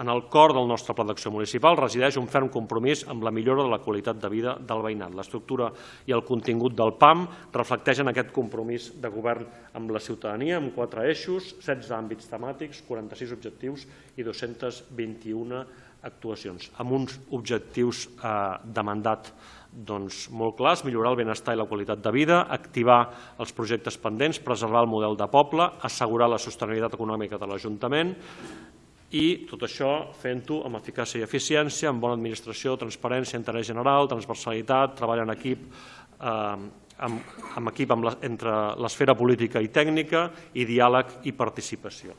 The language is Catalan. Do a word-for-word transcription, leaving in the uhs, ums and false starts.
En el cor del nostre Pla d'Acció Municipal resideix un ferm compromís amb la millora de la qualitat de vida del veïnat. L'estructura i el contingut del P A M reflecteixen aquest compromís de govern amb la ciutadania amb quatre eixos, setze àmbits temàtics, quaranta-sis objectius i dos-centes vint-i-una actuacions, amb uns objectius de mandat molt clars: millorar el benestar i la qualitat de vida, activar els projectes pendents, preservar el model de poble, assegurar la sostenibilitat econòmica de l'Ajuntament, i tot això fent-ho amb eficàcia i eficiència, amb bona administració, transparència, interès general, transversalitat, treball en equip, amb equip entre l'esfera política i tècnica, i diàleg i participació.